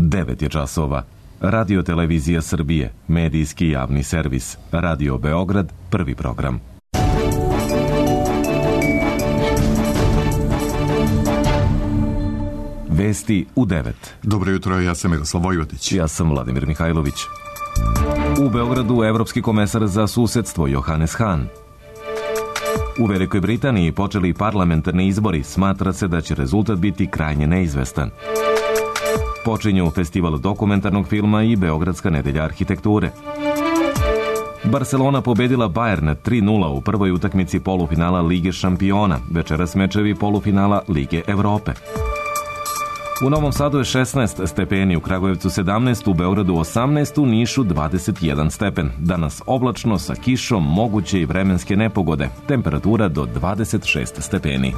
9 je časova. Radio Televizija Srbije, medijski javni servis. Radio Beograd, prvi program. Vesti u 9. Dobro jutro, ja sam Miroslav Vojvodić. Ja sam Vladimir Mihajlović. U Beogradu evropski komesar za susedstvo Johannes Hahn. U Velikoj Britaniji počeli parlamentarni izbori, smatra se da će rezultat biti krajnje neizvestan. Počinju festival dokumentarnog filma i Beogradska nedelja arhitekture. Barcelona pobedila Bayern 3:0 u prvoj utakmici polufinala Lige šampiona, večeras mečevi polufinala Lige Evrope. U Novom Sadu je 16 stepeni, u Kragujevcu 17, u Beogradu 18, u Nišu 21 stepen. Danas oblačno sa kišom, moguće i vremenske nepogode. Temperatura do 26 stepeni.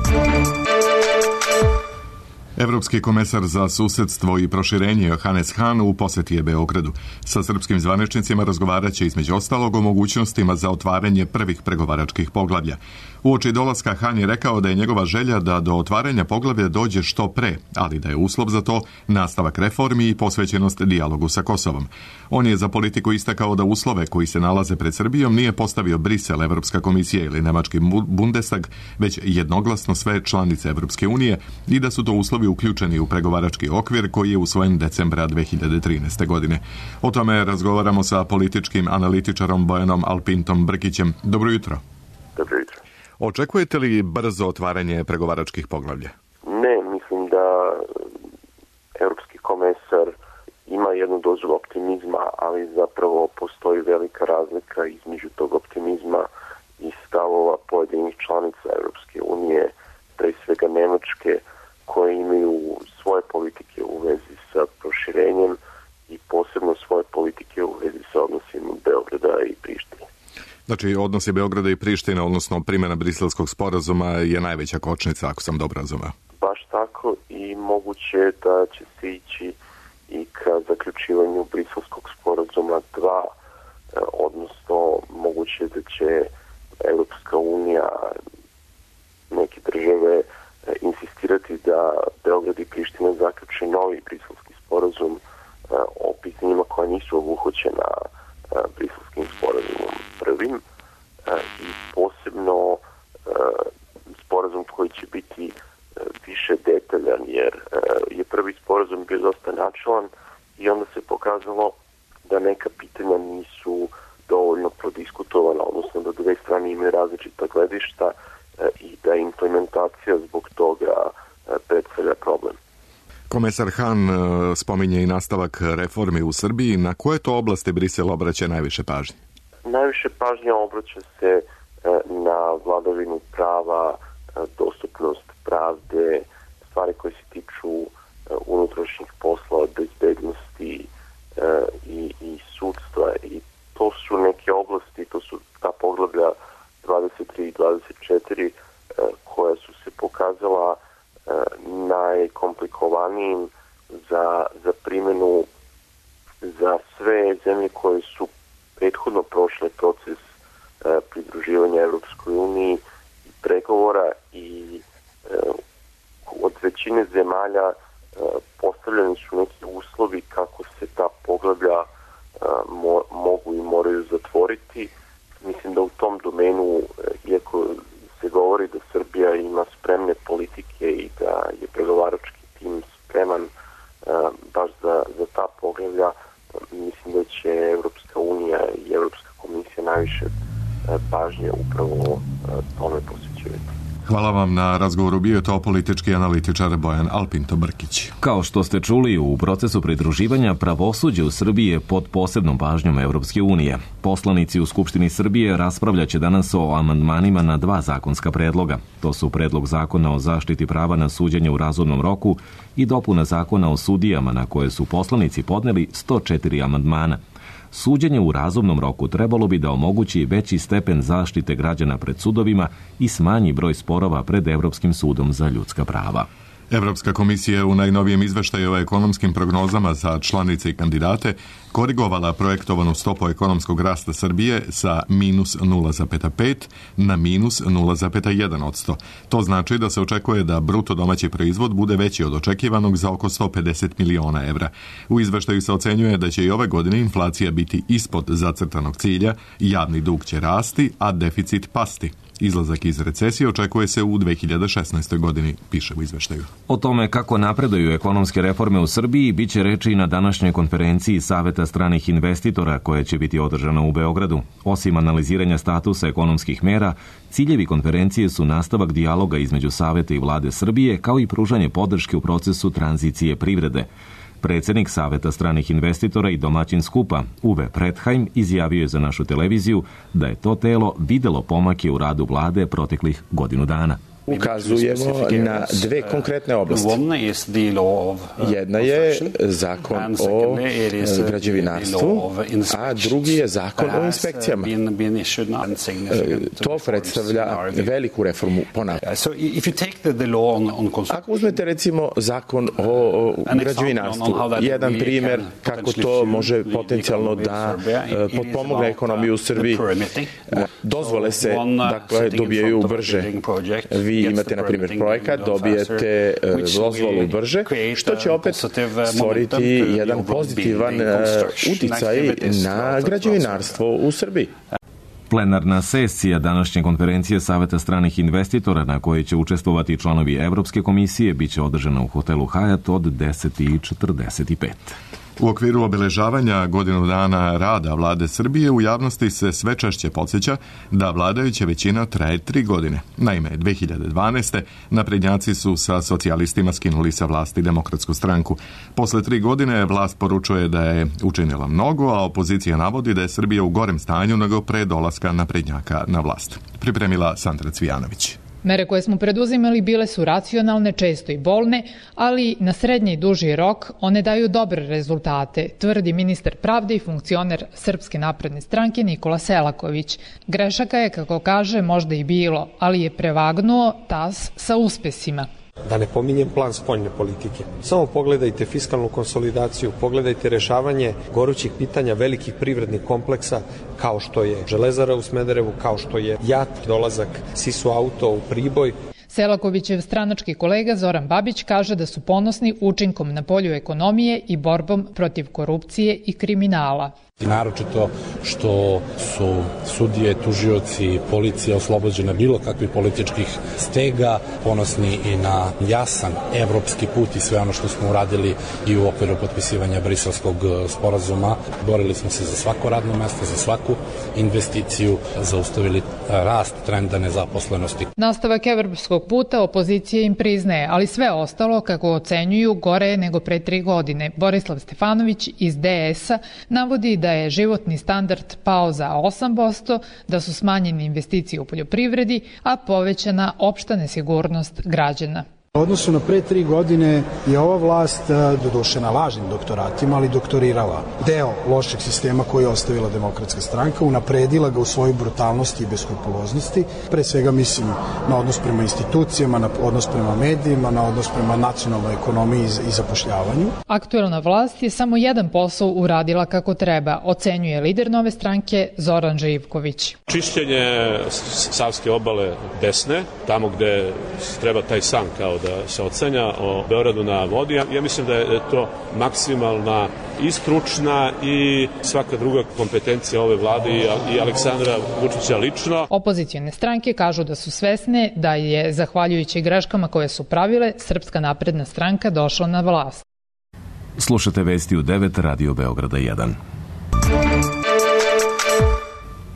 Evropski komesar za susedstvo i proširenje Johannes Hahn u poseti je Beogradu. Sa srpskim zvaničnicima razgovarat će između ostalog o mogućnostima za otvaranje prvih pregovaračkih poglavlja. Uoči dolaska Hahn je rekao da je njegova želja da do otvaranja poglavlja dođe što pre, ali da je uslov za to nastavak reformi i posvećenost dijalogu sa Kosovom. On je za politiku istakao da uslove koji se nalaze pred Srbijom nije postavio Brisel, Evropska komisija ili Nemački Bundestag, već jednoglasno sve članice Evropske unije i da su to uslovi uključeni u pregovarački okvir koji je usvojen decembra 2013. godine. O tome razgovaramo sa političkim analitičarom Bojanom Alpintom Brkićem. Dobro jutro. Dobro jutro. Očekujete li brzo otvaranje pregovaračkih poglavlja? Ne, mislim da evropski komesar ima jednu dozu optimizma, ali zapravo postoji velika razlika između tog optimizma i stavova pojedinih članica Evropske unije, pre svega Nemačke, koje imaju svoje politike u vezi sa proširenjem i posebno svoje politike u vezi sa odnosima Beograda i Prištine. Znači, odnosi Beograda i Prištine, odnosno primjena Briselskog sporazuma je najveća kočnica, ako sam dobro razumeo. Baš tako, i moguće da će se ići i ka zaključivanju Briselskog sporazuma 2, odnosno moguće da će Evropska unija, neke države, insistirati da Beograd i Priština zaključe novi briselski sporazum o pitanjima koja nisu obuhvaćena briselskim sporazumom prvim i posebno sporazum koji će biti više detaljan, jer je prvi sporazum bio dosta načelan i onda se pokazalo da neka pitanja nisu dovoljno prodiskutovana, odnosno da dve strane imaju različita gledišta i da implementacija zbog toga predstavlja problem. Komesar Hahn spominje i nastavak reformi u Srbiji. Na koje to oblasti Brisel obraća najviše pažnje? Najviše pažnje obraća se na vladavinu prava, dostupnost pravde, stvari koje se tiču unutrašnjih poslova, bezbednosti i sudstva. I to su neke oblasti, to su ta poglavlja 23 i 24 koja su se pokazala najkomplikovanijim za primjenu za sve zemlje koje su prethodno prošle proces pridruživanja Evropskoj uniji i pregovora i od većine zemalja postavljeni su neki uslovi kako se ta poglavlja mogu i moraju zatvoriti. Mislim da u tom domenu, iako se govori da Srbija ima spremne politike i da je pregovarački tim spreman baš za ta poglavlja, mislim da će Evropska unija i Evropska komisija najviše pažnje upravo tome posvećivati. Hvala vam na razgovoru. Bio je to politički analitičar Bojan Alpinto Brkić. Kao što ste čuli, u procesu pridruživanja pravosuđe u Srbiji je pod posebnom pažnjom Evropske unije. Poslanici u Skupštini Srbije raspravljaće danas o amandmanima na 2 zakonska predloga. To su predlog zakona o zaštiti prava na suđenje u razumnom roku i dopuna zakona o sudijama, na koje su poslanici podneli 104 amandmana. Suđenje u razumnom roku trebalo bi da omogući veći stepen zaštite građana pred sudovima i smanji broj sporova pred Evropskim sudom za ljudska prava. Evropska komisija u najnovijem izveštaju o ekonomskim prognozama za članice i kandidate korigovala projektovanu stopu ekonomskog rasta Srbije sa minus 0,5 na minus 0,1%. To znači da se očekuje da bruto domaći proizvod bude veći od očekivanog za oko 150 miliona evra. U izveštaju se ocenjuje da će i ove godine inflacija biti ispod zacrtanog cilja, javni dug će rasti, a deficit pasti. Izlazak iz recesije očekuje se u 2016. godini, piše u izveštaju. O tome kako napreduju ekonomske reforme u Srbiji biće reči na današnjoj konferenciji Saveta stranih investitora koja će biti održana u Beogradu. Osim analiziranja statusa ekonomskih mera, ciljevi konferencije su nastavak dijaloga između Saveta i vlade Srbije kao i pružanje podrške u procesu tranzicije privrede. Predsjednik Saveta stranih investitora i domaćin skupa, Uwe Predheim, izjavio je za našu televiziju da je to telo videlo pomake u radu vlade proteklih godinu dana. Ukazujemo na dve konkretne oblasti. Jedna je zakon o građevinarstvu, a drugi je zakon o inspekcijama. To predstavlja veliku reformu ponavljanja. Ako uzmete recimo zakon o građevinarstvu, jedan primjer kako to može potencijalno da potpomogne ekonomiju u Srbiji, dozvole se dobijaju brže. Vi imate, na primjer, projekat, dobijete dozvolu brže, što će opet stvoriti jedan pozitivan uticaj na građevinarstvo u Srbiji. Plenarna sesija današnje konferencije Saveta stranih investitora na kojoj će učestvovati članovi Evropske komisije biće održana u hotelu Hyatt od 10:45. U okviru obeležavanja godinu dana rada vlade Srbije u javnosti se sve češće podsjeća da vladajuća većina traje 3 godine. Naime, 2012. naprednjaci su sa socijalistima skinuli sa vlasti Demokratsku stranku. Posle 3 godine vlast poručuje da je učinila mnogo, a opozicija navodi da je Srbija u gorem stanju nego pre dolaska naprednjaka na vlast. Pripremila Sandra Cvijanović. Mere koje smo preduzimali bile su racionalne, često i bolne, ali na srednji i duži rok one daju dobre rezultate, tvrdi ministar pravde i funkcioner Srpske napredne stranke Nikola Selaković. Grešaka je, kako kaže, možda i bilo, ali je prevagnuo tas sa uspesima. Da ne pominjem plan spoljne politike. Samo pogledajte fiskalnu konsolidaciju, pogledajte rešavanje gorućih pitanja velikih privrednih kompleksa kao što je Železara u Smederevu, kao što je JAT, dolazak Sisu Auto u Priboj. Selakovićev stranački kolega Zoran Babić kaže da su ponosni učinkom na polju ekonomije i borbom protiv korupcije i kriminala. Naročito što su sudije, tužioci, policija oslobođene bilo kakvih političkih stega, ponosni i na jasan evropski put i sve ono što smo uradili i u okviru potpisivanja Briselskog sporazuma. Borili smo se za svako radno mesto, za svaku investiciju, zaustavili rast trenda nezaposlenosti. Nastavak evropskog puta opozicija im priznaje, ali sve ostalo, kako ocenjuju, gore je nego pre 3 godine. Borislav Stefanović iz DS-a navodi da je životni standard pao za 8%, da su smanjene investicije u poljoprivredi, a povećana opšta nesigurnost građana. U odnosu na pre 3 godine je ova vlast, doduše na lažnim doktoratima, ali doktorirala deo lošeg sistema koji je ostavila Demokratska stranka, unapredila ga u svojoj brutalnosti i beskrupuloznosti. Pre svega mislim na odnos prema institucijama, na odnos prema medijima, na odnos prema nacionalnoj ekonomiji i zapošljavanju. Aktuelna vlast je samo jedan posao uradila kako treba, ocenjuje lider nove stranke Zoran Živković. Čišćenje Savske obale desne, tamo gde treba taj san kao da se ocenja o Beogradu na vodi. Ja mislim da je to maksimalna i stručna i svaka druga kompetencija ove vlade i Aleksandra Vučića lično. Opozicione stranke kažu da su svesne da je, zahvaljujući greškama koje su pravile, Srpska napredna stranka došla na vlast. Slušate vesti u 9 Radio Beograda 1.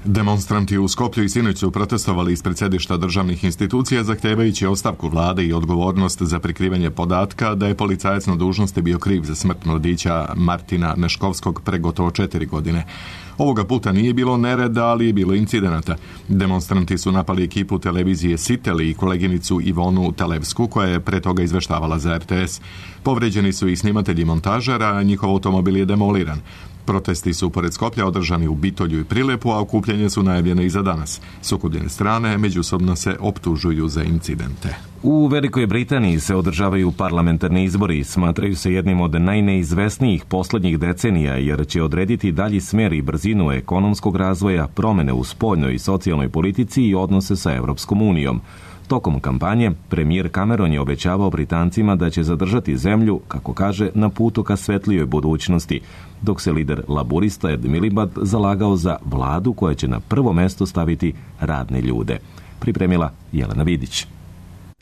Demonstranti u Skoplju i sinoć su protestovali ispred sedišta državnih institucija zahtevajući ostavku vlade i odgovornost za prikrivanje podatka da je policajac na dužnosti bio kriv za smrt mladića Martina Neškovskog pre gotovo 4 godine. Ovoga puta nije bilo nereda, ali je bilo incidenata. Demonstranti su napali ekipu televizije Siteli i koleginicu Ivonu Televsku, koja je pre toga izveštavala za RTS. Povređeni su i snimatelji montažera, a njihov automobil je demoliran. Protesti su pored Skoplja održani u Bitolju i Prilepu, a okupljanje su najavljene i za danas. Sukobljene strane međusobno se optužuju za incidente. U Velikoj Britaniji se održavaju parlamentarni izbori. Smatraju se jednim od najneizvesnijih poslednjih decenija, jer će odrediti dalji smer i brzinu ekonomskog razvoja, promene u spoljnoj i socijalnoj politici i odnose sa Evropskom unijom. Tokom kampanje, premijer Cameron je obećavao Britancima da će zadržati zemlju, kako kaže, na putu ka svetlijoj budućnosti, dok se lider laburista Ed Miliband zalagao za vladu koja će na prvo mesto staviti radne ljude. Pripremila Jelena Vidić.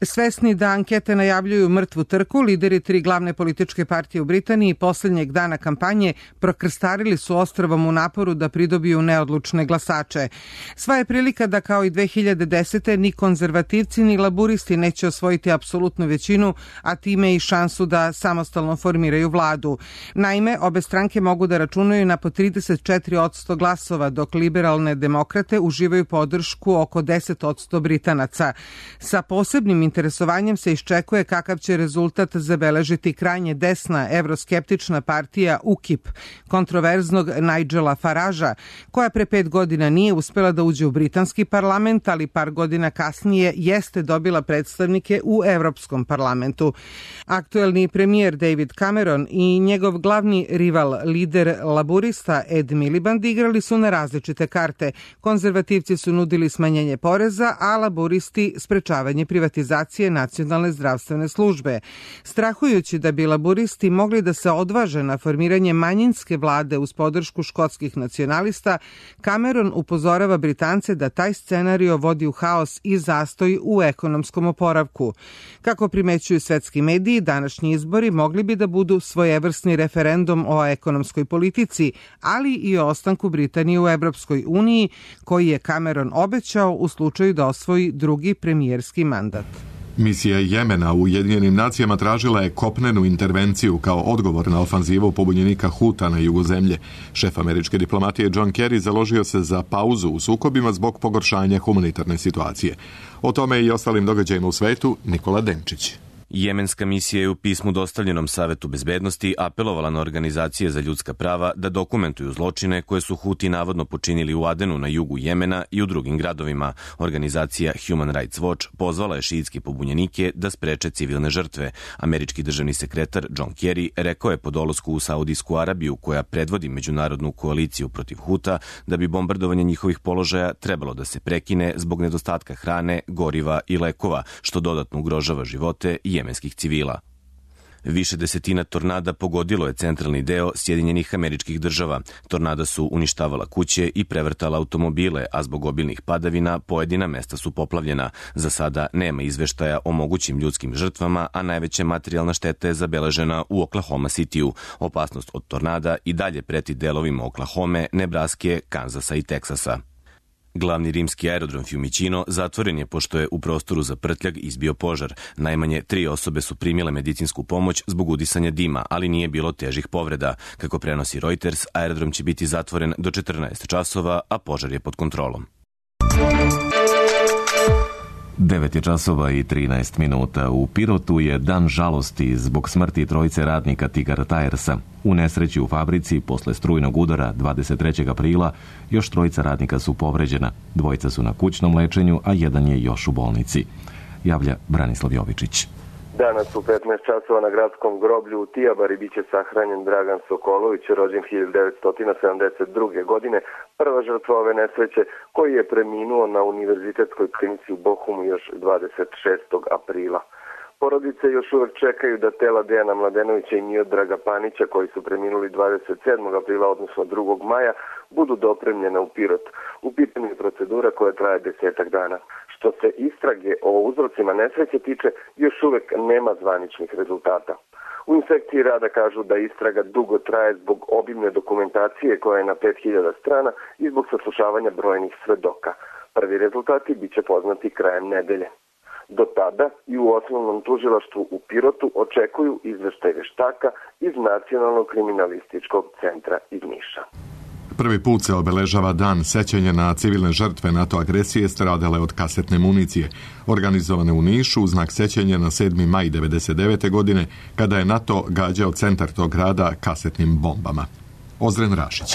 Svesni da ankete najavljuju mrtvu trku, lideri 3 glavne političke partije u Britaniji posljednjeg dana kampanje prokrstarili su ostrvom u naporu da pridobiju neodlučne glasače. Sva je prilika da kao i 2010. ni konzervativci ni laburisti neće osvojiti apsolutnu većinu, a time i šansu da samostalno formiraju vladu. Naime, obe stranke mogu da računaju na po 34% glasova, dok liberalne demokrate uživaju podršku oko 10% Britanaca. Sa posebnim interesovanjem se iščekuje kakav će rezultat zabeležiti krajnje desna evroskeptična partija UKIP, kontroverznog Nigela Faragea, koja pre 5 godina nije uspela da uđe u britanski parlament, ali par godina kasnije jeste dobila predstavnike u Evropskom parlamentu. Aktuelni premijer David Cameron i njegov glavni rival, lider laburista Ed Miliband, igrali su na različite karte. Konzervativci su nudili smanjenje poreza, a laburisti sprečavanje privatizacije nacionalne zdravstvene službe. Strahujući da bi laburisti mogli da se odvaže na formiranje manjinske vlade uz podršku škotskih nacionalista, Cameron upozorava Britance da taj scenario vodi u haos i zastoj u ekonomskom oporavku. Kako primećuju svetski mediji, današnji izbori mogli bi da budu svojevrsni referendum o ekonomskoj politici, ali i o ostanku Britanije u Evropskoj uniji, koji je Cameron obećao u slučaju da osvoji drugi premijerski mandat. Misija Jemena u Ujedinjenim nacijama tražila je kopnenu intervenciju kao odgovor na ofanzivu pobunjenika Huta na jugu zemlje. Šef američke diplomatije John Kerry založio se za pauzu u sukobima zbog pogoršanja humanitarne situacije. O tome i ostalim događajima u svetu Nikola Denčić. Jemenska misija je u pismu dostavljenom Savetu bezbednosti apelovala na organizacije za ljudska prava da dokumentuju zločine koje su Huti navodno počinili u Adenu na jugu Jemena i u drugim gradovima. Organizacija Human Rights Watch pozvala je šiitske pobunjenike da spreče civilne žrtve. Američki državni sekretar John Kerry rekao je po dolasku u Saudijsku Arabiju, koja predvodi međunarodnu koaliciju protiv Huta, da bi bombardovanje njihovih položaja trebalo da se prekine zbog nedostatka hrane, goriva i lekova, što dodatno ugrožava živote jemenskih civila. Više desetina tornada pogodilo je centralni deo Sjedinjenih Američkih Država. Tornada su uništavala kuće i prevrtala automobile, a zbog obilnih padavina pojedina mesta su poplavljena. Za sada nema izveštaja o mogućim ljudskim žrtvama, a najveća materijalna šteta je zabeležena u Oklahoma Cityu. Opasnost od tornada i dalje preti delovima Oklahome, Nebraske, Kanzasa i Teksasa. Glavni rimski aerodrom Fiumicino zatvoren je pošto je u prostoru za prtljag izbio požar. Najmanje 3 osobe su primile medicinsku pomoć zbog udisanja dima, ali nije bilo težih povreda. Kako prenosi Reuters, aerodrom će biti zatvoren do 14 časova, a požar je pod kontrolom. 9 je časova i 13 minuta. U Pirotu je dan žalosti zbog smrti trojice radnika Tigar Tiresa. U nesreći u fabrici posle strujnog udara 23. aprila još trojica radnika su povređena. Dvojica su na kućnom lečenju, a jedan je još u bolnici. Javlja Branislav Jovičić. Danas u 15 časova na gradskom groblju u Tijabari biće sahranjen Dragan Sokolović, rođen 1972. godine, prva žrtva ove nesreće, koji je preminuo na univerzitetskoj klinici u Bohumu još 26. aprila. Porodice još uvek čekaju da tela Dejana Mladenovića i Miodraga Panića, koji su preminuli 27. aprila, odnosno 2. maja, budu dopremljena u Pirot. U pitanju je procedura koja traje 10 dana. Što se istrage o uzrocima nesreće tiče, još uvek nema zvaničnih rezultata. U inspekciji rada kažu da istraga dugo traje zbog obimne dokumentacije koja je na 5000 strana i zbog saslušavanja brojnih svedoka. Prvi rezultati biće poznati krajem nedelje. Do tada i u osnovnom tužilaštvu u Pirotu očekuju izveštaj veštaka iz Nacionalnog kriminalističkog centra iz Niša. Prvi put se obeležava dan sećanja na civilne žrtve NATO agresije stradale od kasetne municije, organizovane u Nišu u znak sećanja na 7. maj 1999. godine, kada je NATO gađao centar tog grada kasetnim bombama. Ozren Rašić.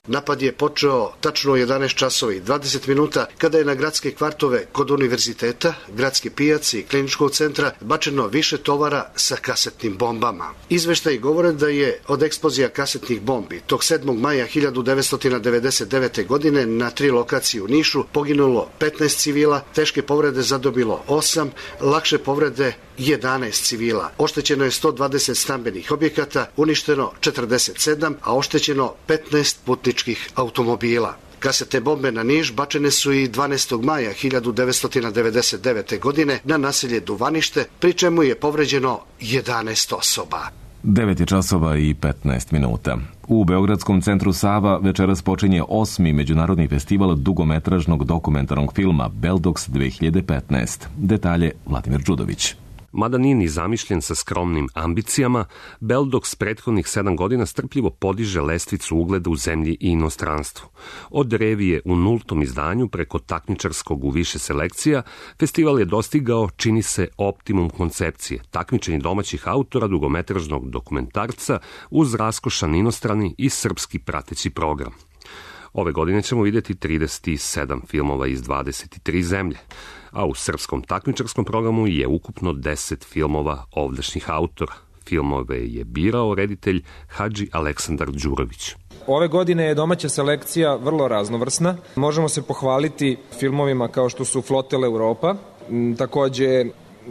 Napad je počeo tačno u 11 časova i 20 minuta kada je na gradske kvartove kod univerziteta, gradske pijace i kliničkog centra bačeno više tovara sa kasetnim bombama. Izveštaji govore da je od eksplozija kasetnih bombi tog 7. maja 1999. godine na 3 lokacije u Nišu poginulo 15 civila, teške povrede zadobilo 8, lakše povrede 11 civila. Oštećeno je 120 stambenih objekata, uništeno 47, a oštećeno 15 putničkih automobila. Kasetne bombe na Niš bačene su i 12. maja 1999. godine na naselje Duvanište, pri čemu je povređeno 11 osoba. 9 časova i 15 minuta. U Beogradskom centru Sava večeras počinje 8. međunarodni festival dugometražnog dokumentarnog filma Beldox 2015. Detalje Vladimir Đudović. Mada nije ni zamišljen sa skromnim ambicijama, Beldox prethodnih 7 godina strpljivo podiže lestvicu ugleda u zemlji i inostranstvu. Od revije u 0. izdanju preko takmičarskog u više selekcija, festival je dostigao, čini se, optimum koncepcije, takmičenje domaćih autora dugometražnog dokumentarca uz raskošan inostrani i srpski prateći program. Ove godine ćemo vidjeti 37 filmova iz 23 zemlje, a u srpskom takmičarskom programu je ukupno 10 filmova ovdašnjih autora. Filmove je birao reditelj Hadži Aleksandar Đurović. Ove godine je domaća selekcija vrlo raznovrsna. Možemo se pohvaliti filmovima kao što su Flotel Europa, takođe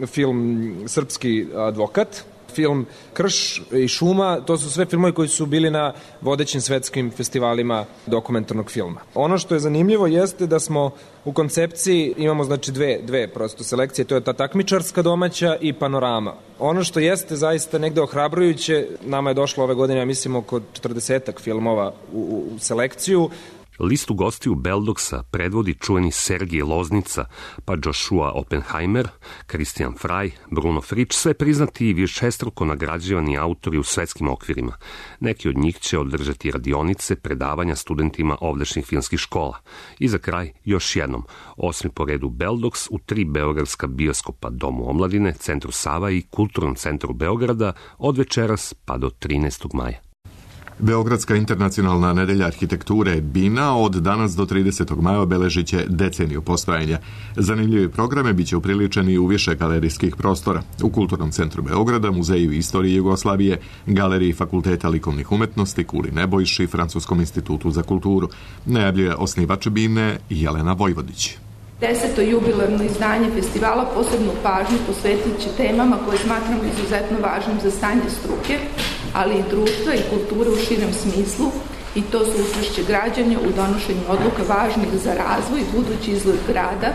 film Srpski advokat, film Krš i šuma, to su sve filmovi koji su bili na vodećim svetskim festivalima dokumentarnog filma. Ono što je zanimljivo jeste da smo u koncepciji imamo znači dve prosto selekcije, to je ta takmičarska domaća i panorama. Ono što jeste zaista negde ohrabrujuće, nama je došlo ove godine, ja mislim, oko 40 filmova u selekciju. Listu gostiju Beldoxa predvodi čuveni Sergij Loznica, pa Joshua Oppenheimer, Christian Frey, Bruno Fritsch, sve priznati i višestruko nagrađivani autori u svetskim okvirima. Neki od njih će održati radionice, predavanja studentima ovdašnjih filmskih škola. I za kraj, još jednom, 8. po redu Beldox u 3 beogradska bioskopa, Domu omladine, Centru Sava i Kulturnom centru Beograda od večeras pa do 13. maja. Beogradska internacionalna nedelja arhitekture BINA od danas do 30. maja obeležit će deceniju postojanja. Zanimljivi programe biće upriličeni u više galerijskih prostora. U Kulturnom centru Beograda, Muzeju istorije Jugoslavije, Galeriji Fakulteta likovnih umetnosti, Kuli Nebojši, Francuskom institutu za kulturu. Najavljuje osnivač BINE Jelena Vojvodić. 10. jubilarno izdanje festivala posebnu pažnju posvetit će temama koje smatramo izuzetno važnim za stanje struke, ali i društva i kulture u širem smislu, i to su učešće građana u donošenju odluka važnih za razvoj, budući izgled grada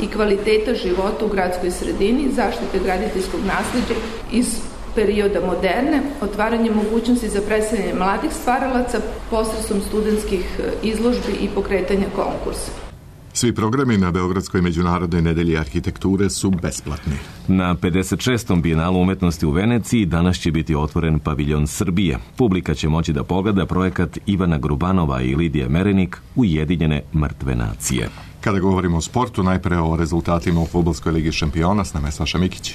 i kvaliteta života u gradskoj sredini, zaštite graditeljskog nasleđa iz perioda moderne, otvaranje mogućnosti za predstavljanje mladih stvaralaca posredstvom studentskih izložbi i pokretanja konkursa. Svi programi na Beogradskoj međunarodnoj nedelji arhitekture su besplatni. Na 56. Bijenalu umetnosti u Veneciji danas će biti otvoren paviljon Srbije. Publika će moći da pogleda projekat Ivana Grubanova i Lidije Merenik Ujedinjene mrtve nacije. Kada govorimo o sportu, najpre o rezultatima u Fudbalskoj ligi šampiona, s nama je Saša Mikić.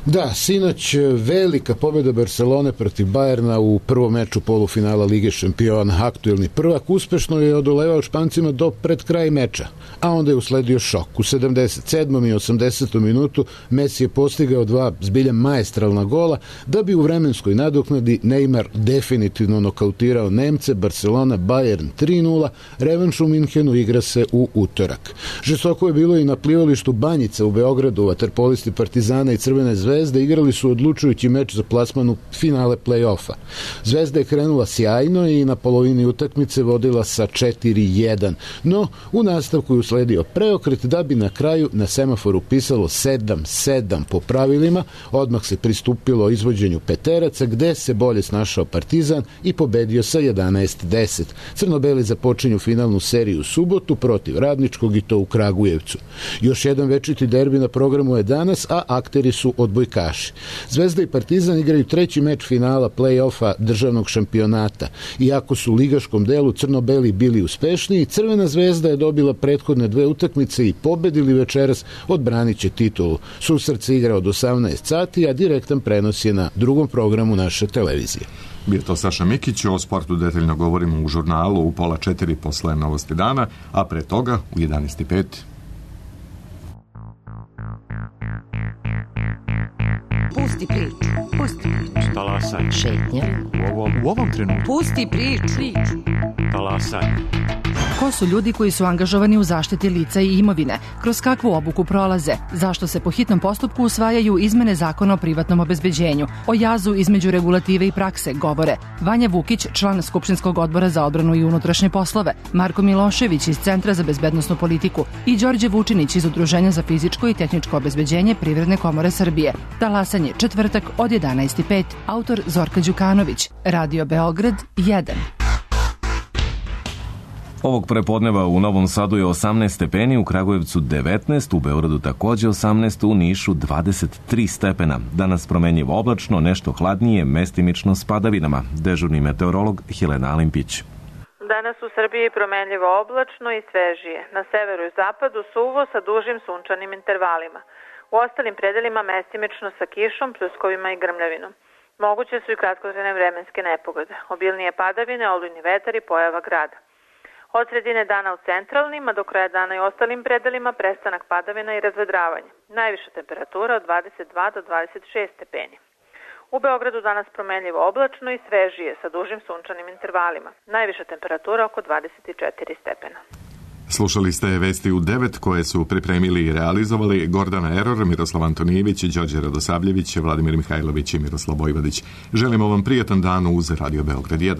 Da, sinoć velika pobjeda Barcelone protiv Bajerna u prvom meču polufinala Lige šampiona. Aktuelni prvak uspešno je odolevao Špancima do pred kraj meča, a onda je usledio šok. U 77. i 80. minutu Messi je postigao 2 zbilja maestralna gola, da bi u vremenskoj nadoknadi Neymar definitivno nokautirao Nemce. Barcelona Bayern 3:0, revanš u Minhenu igra se u utorak. Žestoko je bilo i na plivalištu Banjica u Beogradu. Vaterpolisti Partizana i Crvene Zvezde igrali su odlučujući meč za plasman u finale play-offa. Zvezda je krenula sjajno i na polovini utakmice vodila sa 4:1, no u nastavku je usledio preokret da bi na kraju na semaforu pisalo 7-7 po pravilima. Odmah se pristupilo izvođenju peteraca, gde se bolje snašao Partizan i pobedio sa 11-10. Crno-beli započinju finalnu seriju u subotu protiv Radničkog, i to u Kragujevcu. Još jedan večiti derbi na programu je danas, a akteri su odbojkaši. Zvezda i Partizan igraju treći meč finala play-offa državnog šampionata. Iako su u ligaškom delu crno-beli bili uspešniji, Crvena Zvezda je dobila prethodne 2 utakmice i pobedili večeras, odbranit će titulu. Susret se igra od 18 sati, a direktan prenos je na drugom programu naše televizije. Bio to Saša Mikić, o sportu detaljno govorimo u žurnalu u 3:30 posle Novosti dana, a pre toga u 11:05. Pusti priču. Pusti priču. Talasaj. Šetnja. U ovom trenutku. Pusti priču. Talasaj. Ko su ljudi koji su angažovani u zaštiti lica i imovine? Kroz kakvu obuku prolaze? Zašto se po hitnom postupku usvajaju izmene zakona o privatnom obezbeđenju? O jazu između regulative i prakse govore Vanja Vukić, član Skupštinskog odbora za odbranu i unutrašnje poslove, Marko Milošević iz Centra za bezbednosnu politiku i Đorđe Vučinić iz Udruženja za fizičko i tehničko obezbeđenje Privredne komore Srbije. Talasanje četvrtak od 11:05. Autor Zorka Đukanović. Radio Beograd 1. Ovog prepodneva u Novom Sadu je 18 stepeni, u Kragujevcu 19, u Beogradu takođe 18, u Nišu 23 stepena. Danas promenljivo oblačno, nešto hladnije, mestimično s padavinama. Dežurni meteorolog Helena Alimpić. Danas u Srbiji promenljivo oblačno i svežije. Na severu i zapadu suvo sa dužim sunčanim intervalima. U ostalim predelima mestimično sa kišom, pljuskovima i grmljavinom. Moguće su i kratkotrajne vremenske nepogode. Obilnije padavine, olujni vetar i pojava grada. Od sredine dana u centralnim, a do kraja dana i ostalim predelima prestanak padavina i razvedravanje. Najviša temperatura od 22 do 26 stepeni. U Beogradu danas promenljivo oblačno i svežije sa dužim sunčanim intervalima. Najviša temperatura oko 24 stepena. Slušali ste vesti u 9 koje su pripremili i realizovali Gordana Eror, Miroslav Antonijević, Đorđe Radosavljević, Vladimir Mihajlović i Miroslav Vojvodić. Želimo vam prijatan dan uz Radio Beograd 1.